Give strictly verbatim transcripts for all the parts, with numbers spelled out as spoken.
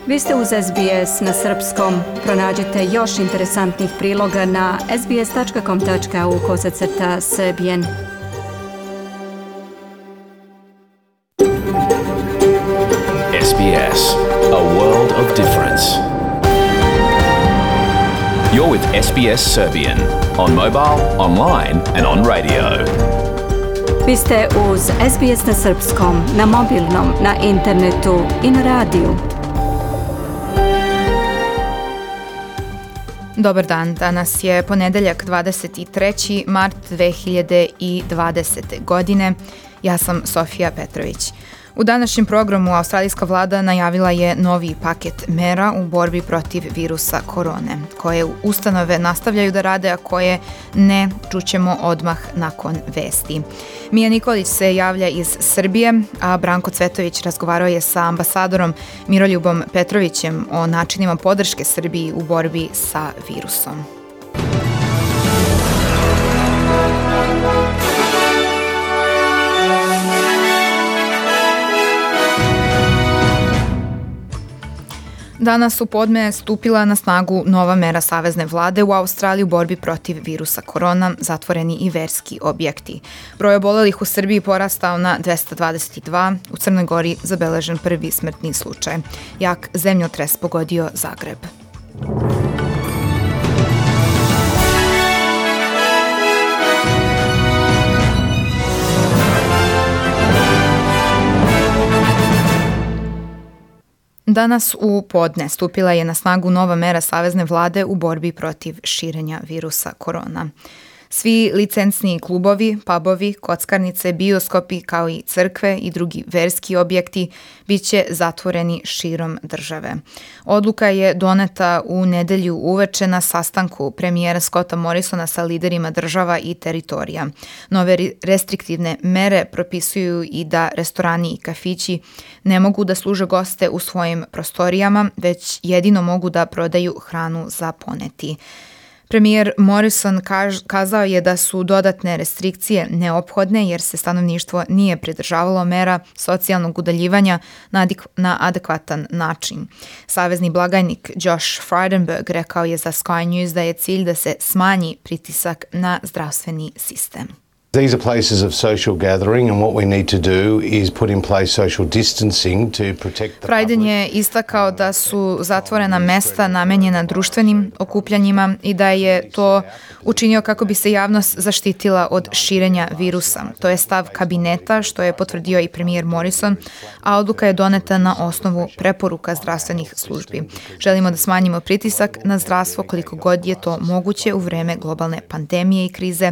Vi ste uz S B S na srpskom. Pronađite još interesantnih priloga na sbs.com.au kosacrta srbijen. S B S, a world of difference. You're with S B S Serbian on mobile, online and on radio. Vi ste uz S B S na srpskom, na mobilnom, na internetu i na radiju. Dobar dan, danas je ponedeljak dvadeset treći mart dve hiljade dvadesete. godine. Ja sam Sofija Petrović. U današnjem programu australijska vlada najavila je novi paket mera u borbi protiv virusa korone, koje ustanove nastavljaju da rade, a koje ne, čućemo odmah nakon vesti. Mija Nikolić se javlja iz Srbije, a Branko Cvetović razgovarao je sa ambasadorom Miroljubom Petrovićem o načinima podrške Srbiji u borbi sa virusom. Danas u podne stupila na snagu nova mera savezne vlade u Australiji u borbi protiv virusa korona, zatvoreni i verski objekti. Broj obolelih u Srbiji porastao na dvesta dvadeset dva, u Crnoj Gori zabeležen prvi smrtni slučaj. Jak zemljotres pogodio Zagreb. Danas u podne stupila je na snagu nova mera savezne vlade u borbi protiv širenja virusa korona. Svi licencni klubovi, pubovi, kockarnice, bioskopi kao i crkve i drugi verski objekti bit će zatvoreni širom države. Odluka je doneta u nedelju uveče na sastanku premijera Scotta Morrisona sa liderima država i teritorija. Nove restriktivne mere propisuju i da restorani i kafići ne mogu da služe goste u svojim prostorijama, već jedino mogu da prodaju hranu za poneti. Premijer Morrison kaž, kazao je da su dodatne restrikcije neophodne jer se stanovništvo nije pridržavalo mera socijalnog udaljivanja na, adik, na adekvatan način. Savezni blagajnik Josh Frydenberg rekao je za Sky News da je cilj da se smanji pritisak na zdravstveni sistem. These are places of social gathering and what we need to do is put in place social distancing to protect the Fryden je istakao da su zatvorena mesta namenjena društvenim okupljanjima i da je to učinio kako bi se javnost zaštitila od širenja virusa. To je stav kabineta, što je potvrdio i premijer Morrison, a odluka je doneta na osnovu preporuka zdravstvenih službi. Želimo da smanjimo pritisak na zdravstvo koliko god je to moguće u vreme globalne pandemije i krize,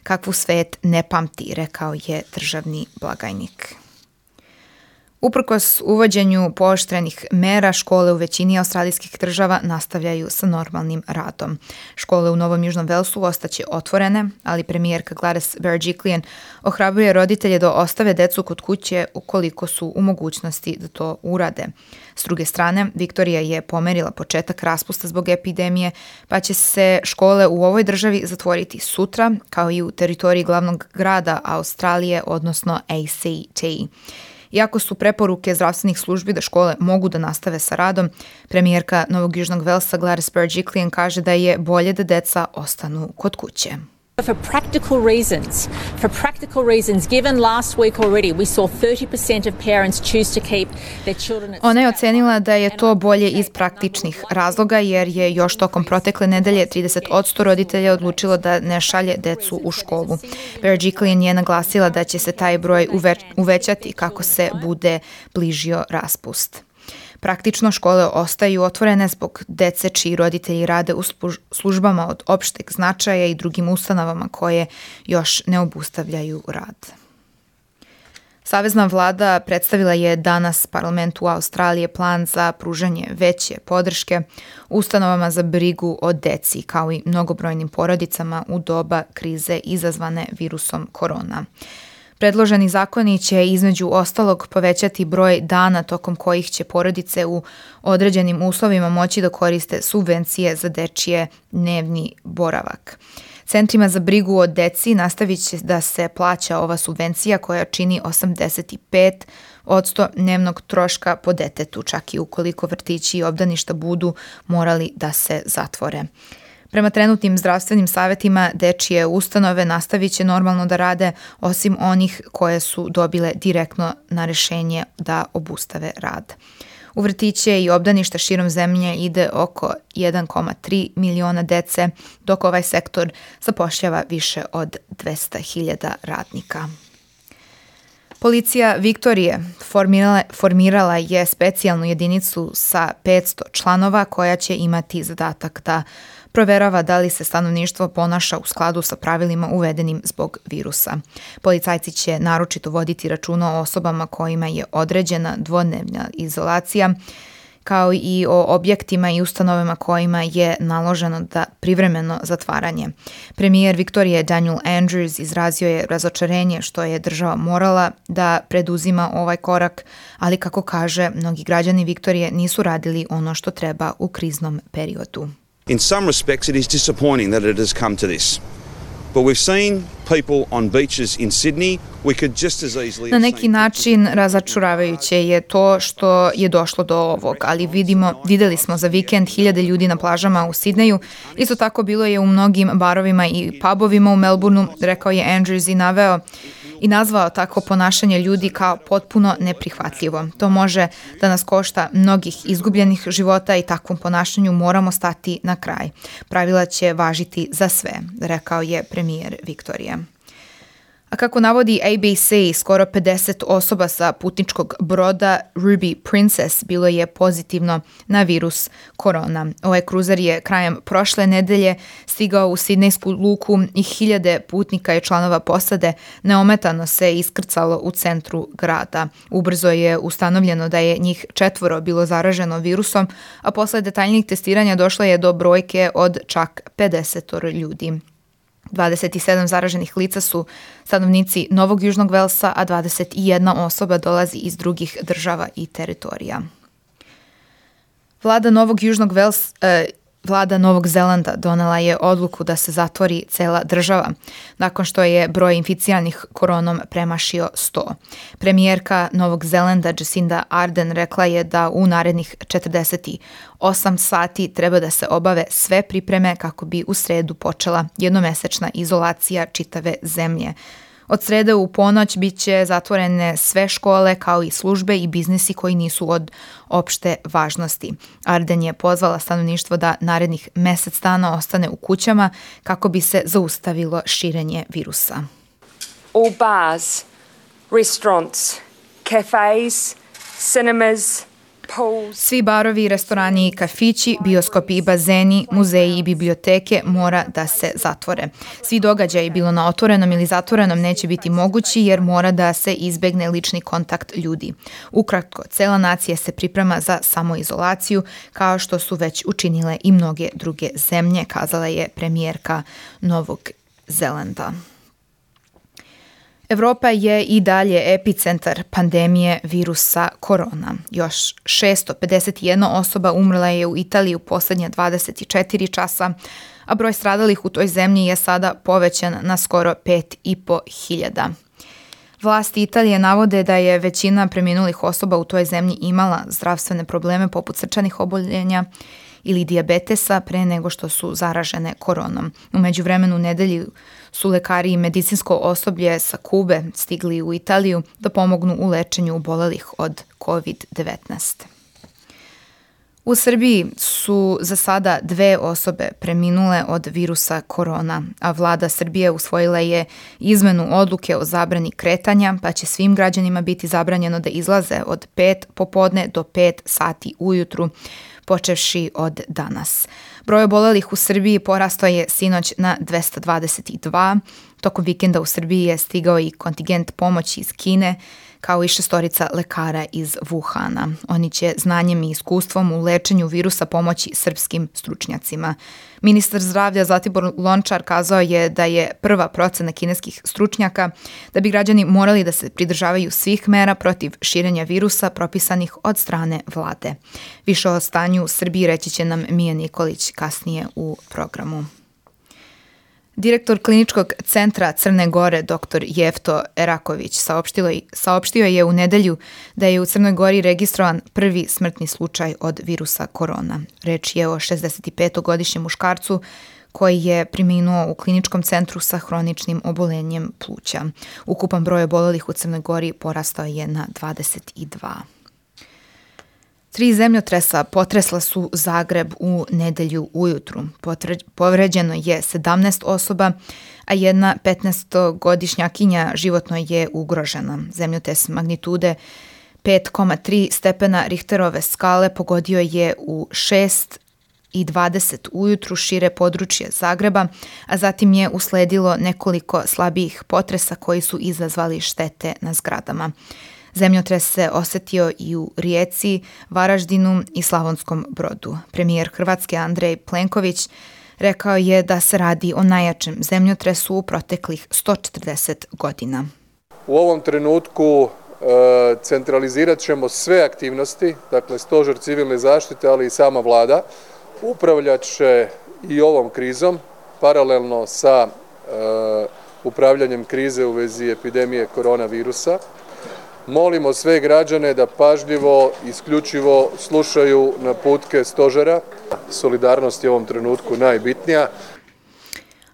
kakvu svet ne pamti, rekao je državni blagajnik. Uprkos uvođenju pooštrenih mera, škole u većini australijskih država nastavljaju sa normalnim radom. Škole u Novom Južnom Velsu ostaće otvorene, ali premijerka Gladys Berejiklian ohrabruje roditelje da ostave decu kod kuće ukoliko su u mogućnosti da to urade. S druge strane, Viktorija je pomerila početak raspusta zbog epidemije, pa će se škole u ovoj državi zatvoriti sutra, kao i u teritoriji glavnog grada Australije, odnosno A C T. Iako su preporuke zdravstvenih službi da škole mogu da nastave sa radom, premijerka Novog Južnog Velsa Gladys Berejiklian kaže da je bolje da deca ostanu kod kuće. For practical reasons, for practical reasons, given last week already we saw thirty percent of parents choose to keep their children at Ona je ocenila da je to bolje iz praktičnih razloga jer je još tokom protekle nedelje trideset posto roditelja odlučilo da ne šalje decu u školu. Berejiklian je naglasila da će se taj broj uve, uvećati kako se bude bližio raspust. Praktično škole ostaju otvorene zbog dece čiji roditelji rade u službama od opšteg značaja i drugim ustanovama koje još ne obustavljaju rad. Savezna vlada predstavila je danas parlamentu Australije plan za pružanje veće podrške ustanovama za brigu o deci kao i mnogobrojnim porodicama u doba krize izazvane virusom korona. Predloženi zakoni će između ostalog povećati broj dana tokom kojih će porodice u određenim uslovima moći da koriste subvencije za dečije dnevni boravak. Centrima za brigu o deci nastavit će da se plaća ova subvencija koja čini osamdeset pet odsto dnevnog troška po detetu, čak i ukoliko vrtići i obdaništa budu morali da se zatvore. Prema trenutnim zdravstvenim savjetima, dečije ustanove nastavit će normalno da rade, osim onih koje su dobile direktno na rešenje da obustave rad. U vrtiće i obdaništa širom zemlje ide oko jedan zarez tri miliona dece, dok ovaj sektor zapošljava više od dvesta hiljada radnika. Policija Viktorije formirala, formirala je specijalnu jedinicu sa petsto članova koja će imati zadatak da proverava da li se stanovništvo ponaša u skladu sa pravilima uvedenim zbog virusa. Policajci će naročito voditi računa o osobama kojima je određena dvodnevna izolacija, kao i o objektima i ustanovama kojima je naloženo da privremeno zatvaranje. Premijer Viktorije Daniel Andrews izrazio je razočarenje što je država morala da preduzima ovaj korak, ali kako kaže, mnogi građani Viktorije nisu radili ono što treba u kriznom periodu. In some respects, it is disappointing that it has come to this. But we've seen people on beaches in Sydney. We could just as easily. Na neki način razočaravajuće je to što je došlo do ovog, ali vidimo, videli smo za vikend hiljade ljudi na plažama u Sidneju. Isto tako bilo je u mnogim barovima i pubovima u Melbourneu, rekao je Andrews i naveo i nazvao tako ponašanje ljudi kao potpuno neprihvatljivo. To može da nas košta mnogih izgubljenih života i takvom ponašanju moramo stati na kraj. Pravila će važiti za sve, rekao je premijer Viktorije. A kako navodi A B C, skoro pedeset osoba sa putničkog broda Ruby Princess bilo je pozitivno na virus korona. Ovaj kruzer je krajem prošle nedelje stigao u sidnejsku luku i hiljade putnika i članova posade neometano se iskrcalo u centru grada. Ubrzo je ustanovljeno da je njih četvoro bilo zaraženo virusom, a posle detaljnijih testiranja došlo je do brojke od čak pedeset ljudi. dvadeset sedam zaraženih lica su stanovnici Novog Južnog Velsa, a dvadeset jedna osoba dolazi iz drugih država i teritorija. Vlada Novog Južnog Velsa, eh, Vlada Novog Zelanda donela je odluku da se zatvori cela država, nakon što je broj inficiranih koronom premašio sto. Premijerka Novog Zelanda Jacinda Ardern rekla je da u narednih četrdeset osam sati treba da se obave sve pripreme kako bi u sredu počela jednomesečna izolacija čitave zemlje. Od srede u ponoć bit će zatvorene sve škole kao i službe i biznisi koji nisu od opšte važnosti. Arden je pozvala stanovništvo da narednih mesec dana ostane u kućama kako bi se zaustavilo širenje virusa. All bars, restaurants, cafes, cinemas, Svi barovi, restorani i kafići, bioskopi i bazeni, muzeji i biblioteke mora da se zatvore. Svi događaji, bilo na otvorenom ili zatvorenom, neće biti mogući jer mora da se izbegne lični kontakt ljudi. Ukratko, cela nacija se priprema za samoizolaciju, kao što su već učinile i mnoge druge zemlje, kazala je premijerka Novog Zelanda. Evropa je i dalje epicentar pandemije virusa korona. Još šesto pedeset jedna osoba umrla je u Italiji u posljednje dvadeset četiri časa, a broj stradalih u toj zemlji je sada povećan na skoro pet i po hiljada. Vlasti Italije navode da je većina preminulih osoba u toj zemlji imala zdravstvene probleme poput srčanih oboljenja ili dijabetesa pre nego što su zaražene koronom. U međuvremenu nedelji su lekari i medicinsko osoblje sa Kube stigli u Italiju da pomognu u lečenju obolelih od kovid devetnaest. U Srbiji su za sada dve osobe preminule od virusa korona, a vlada Srbije usvojila je izmenu odluke o zabrani kretanja, pa će svim građanima biti zabranjeno da izlaze od pet popodne do pet sati ujutru, počevši od danas. Broj obolelih u Srbiji porastao je sinoć na dvesta dvadeset dva. Tokom vikenda u Srbiji je stigao i kontingent pomoći iz Kine, kao i šestorica lekara iz Wuhana. Oni će znanjem i iskustvom u lečenju virusa pomoći srpskim stručnjacima. Ministar zdravlja Zlatibor Lončar kazao je da je prva procena kineskih stručnjaka da bi građani morali da se pridržavaju svih mera protiv širenja virusa propisanih od strane vlade. Više o stanju u Srbiji reći će nam Mija Nikolić kasnije u programu. Direktor kliničkog centra Crne Gore, dr Jefto Eraković, saopštio, saopštio je u nedelju da je u Crnoj Gori registrovan prvi smrtni slučaj od virusa korona. Reč je o šezdesetpetogodišnjem muškarcu koji je preminuo u kliničkom centru sa hroničnim obolenjem pluća. Ukupan broj obolelih u Crnoj Gori porastao je na dvadeset dva. Tri zemljotresa potresla su Zagreb u nedelju ujutru. Povređeno je sedamnaest osoba, a jedna petnaestogodišnjakinja životno je ugrožena. Zemljotres magnitude pet zarez tri stepena Richterove skale pogodio je u šest i dvadeset ujutru šire područje Zagreba, a zatim je usledilo nekoliko slabijih potresa koji su izazvali štete na zgradama. Zemljotres se osetio i u Rijeci, Varaždinu i Slavonskom Brodu. Premijer Hrvatske Andrej Plenković rekao je da se radi o najjačem zemljotresu u proteklih sto četrdeset godina. U ovom trenutku e, centralizirat ćemo sve aktivnosti, dakle Stožer civilne zaštite, ali i sama vlada, upravljat će i ovom krizom, paralelno sa e, upravljanjem krize u vezi epidemije koronavirusa. Molimo sve građane da pažljivo, isključivo slušaju naputke stožera. Solidarnost je u ovom trenutku najbitnija.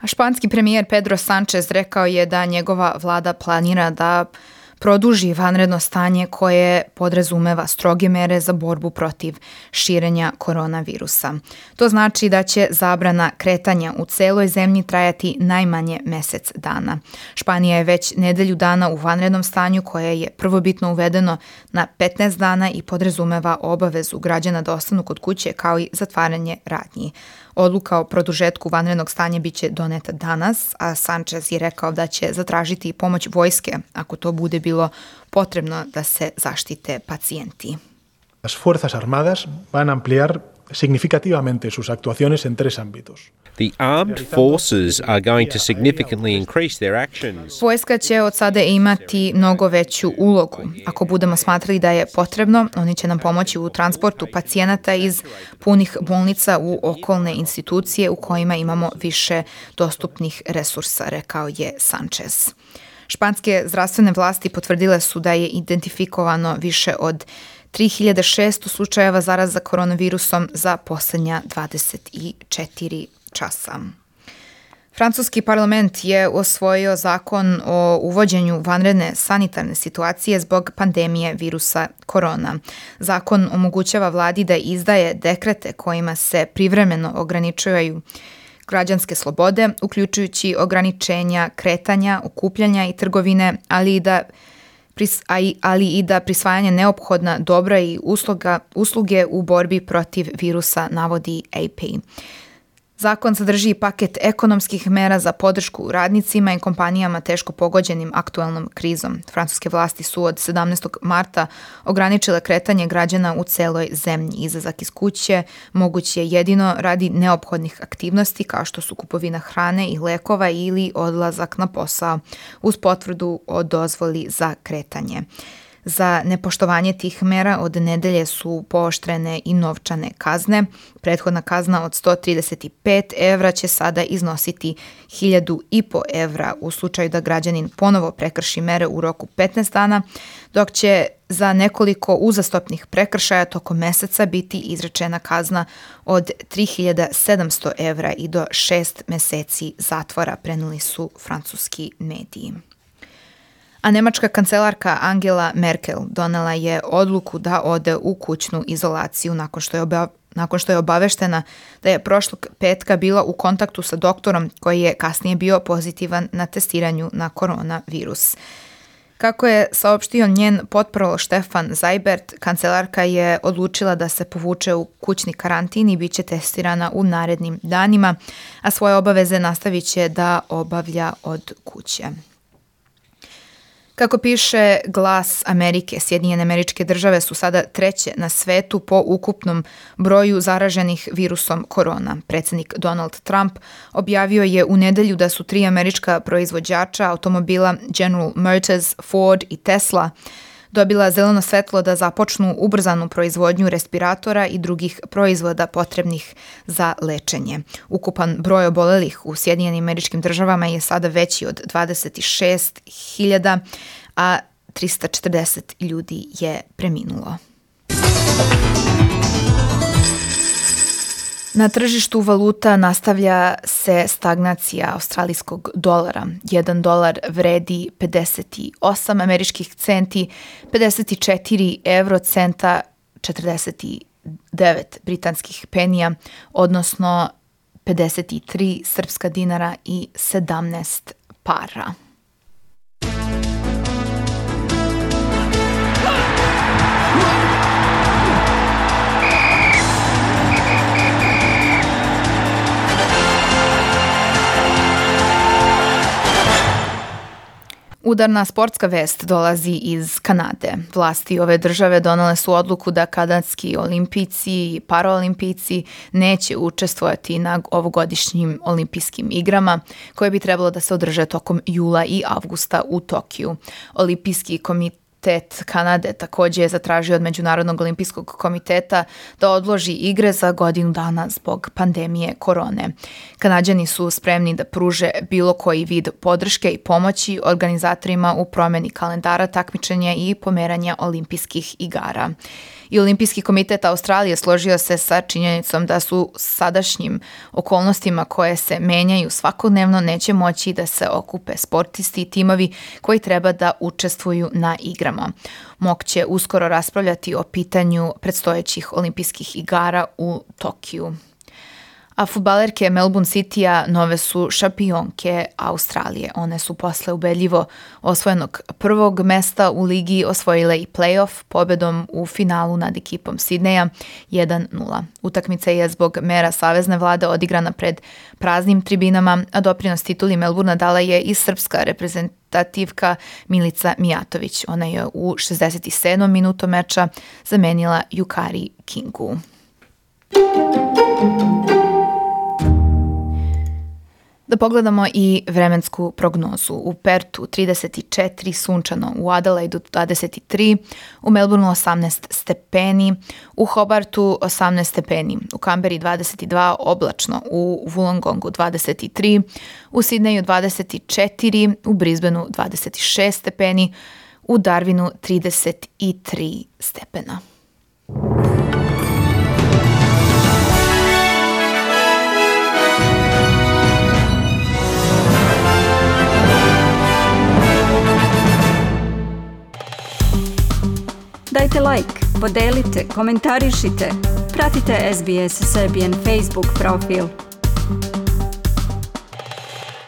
A španski premijer Pedro Sánchez rekao je da njegova vlada planira da produži vanredno stanje koje podrazumeva stroge mere za borbu protiv širenja koronavirusa. To znači da će zabrana kretanja u celoj zemlji trajati najmanje mesec dana. Španija je već nedelju dana u vanrednom stanju koje je prvobitno uvedeno na petnaest dana i podrazumeva obavezu građana da ostanu kod kuće kao i zatvaranje radnji. Odluka o produžetku vanrednog stanja biće doneta danas, a Sánchez je rekao da će zatražiti pomoć vojske ako to bude bilo potrebno da se zaštite pacijenti. Las Fuerzas Armadas van ampliar significativamente sus actuaciones en tres ámbitos. The armed forces are going to significantly increase their actions. Vojska će od sada imati mnogo veću ulogu. Ako budemo smatrali da je potrebno, oni će nam pomoći u transportu pacijenata iz punih bolnica u okolne institucije u kojima imamo više dostupnih resursa, rekao je Sánchez. Španske zdravstvene vlasti potvrdile su da je identifikovano više od tri hiljade šesto slučajeva zaraza koronavirusom za posljednja dvadeset četiri časa. Francuski parlament je usvojio zakon o uvođenju vanredne sanitarne situacije zbog pandemije virusa korona. Zakon omogućava vladi da izdaje dekrete kojima se privremeno ograničavaju građanske slobode, uključujući ograničenja kretanja, okupljanja i trgovine, ali i da ali i da prisvajanje neophodna dobra i usluga, usluge u borbi protiv virusa, navodi A P. Zakon sadrži paket ekonomskih mera za podršku radnicima i kompanijama teško pogođenim aktualnom krizom. Francuske vlasti su od sedamnaestog marta ograničile kretanje građana u celoj zemlji. Izlazak iz kuće moguć je jedino radi neophodnih aktivnosti kao što su kupovina hrane i lekova ili odlazak na posao uz potvrdu o dozvoli za kretanje. Za nepoštovanje tih mera od nedelje su pooštrene i novčane kazne. Prethodna kazna od sto trideset pet evra će sada iznositi hiljadu i po evra u slučaju da građanin ponovo prekrši mere u roku petnaest dana, dok će za nekoliko uzastopnih prekršaja tokom meseca biti izrečena kazna od tri hiljade sedamsto evra i do šest meseci zatvora, prenijeli su francuski mediji. A nemačka kancelarka Angela Merkel donela je odluku da ode u kućnu izolaciju nakon što je oba, nakon što je obaveštena da je prošlog petka bila u kontaktu sa doktorom koji je kasnije bio pozitivan na testiranju na koronavirus. Kako je saopštio njen potpravo Stefan Seibert, kancelarka je odlučila da se povuče u kućni karantin i bit će testirana u narednim danima, a svoje obaveze nastavit će da obavlja od kuće. Kako piše Glas Amerike, Sjedinjene Američke Države su sada treće na svetu po ukupnom broju zaraženih virusom korona. Predsjednik Donald Trump objavio je u nedelju da su tri američka proizvođača automobila General Motors, Ford i Tesla dobila zeleno svetlo da započnu ubrzanu proizvodnju respiratora i drugih proizvoda potrebnih za lečenje. Ukupan broj obolelih u Sjedinjenim Američkim Državama je sada veći od dvadeset šest hiljada, a trista četrdeset ljudi je preminulo. Na tržištu valuta nastavlja se stagnacija australijskog dolara. Jedan dolar vredi pedeset osam američkih centi, pedeset četiri evrocenta, četrdeset devet britanskih penija, odnosno pedeset tri srpska dinara i sedamnaest para. Udarna sportska vest dolazi iz Kanade. Vlasti ove države donele su odluku da kanadski olimpijci i paraolimpijci neće učestvovati na ovogodišnjim olimpijskim igrama koje bi trebalo da se održe tokom jula i avgusta u Tokiju. Olimpijski komitet Kanade također je zatražio od Međunarodnog olimpijskog komiteta da odloži igre za godinu dana zbog pandemije korone. Kanađani su spremni da pruže bilo koji vid podrške i pomoći organizatorima u promjeni kalendara takmičenja i pomeranja olimpijskih igara. I Olimpijski komitet Australije složio se sa činjenicom da su sadašnjim okolnostima koje se menjaju svakodnevno neće moći da se okupe sportisti i timovi koji treba da učestvuju na igrama. M O K će uskoro raspravljati o pitanju predstojećih olimpijskih igara u Tokiju. A fudbalerke Melbourne City-a nove su šampionke Australije. One su posle ubedljivo osvojenog prvog mesta u ligi osvojile i play-off pobedom u finalu nad ekipom Sidneja jedan nula. Utakmica je zbog mera savezne vlade odigrana pred praznim tribinama, a doprinos tituli Melbourne dala je i srpska reprezentativka Milica Mijatović. Ona je u šezdeset sedmom minutu meča zamenila Yukari Kingu. Da pogledamo i vremensku prognozu. U Pertu trideset četiri, sunčano, u Adelaidu dvadeset tri, u Melbourneu osamnaest stepeni, u Hobartu osamnaest stepeni, u Kamberi dvadeset dva, oblačno, u Wollongongu dvadeset tri, u Sidneju dvadeset četiri, u Brisbaneu dvadeset šest stepeni, u Darwinu trideset tri stepena. Dajte like, podelite, komentarišite, pratite S B S Serbian Facebook profil.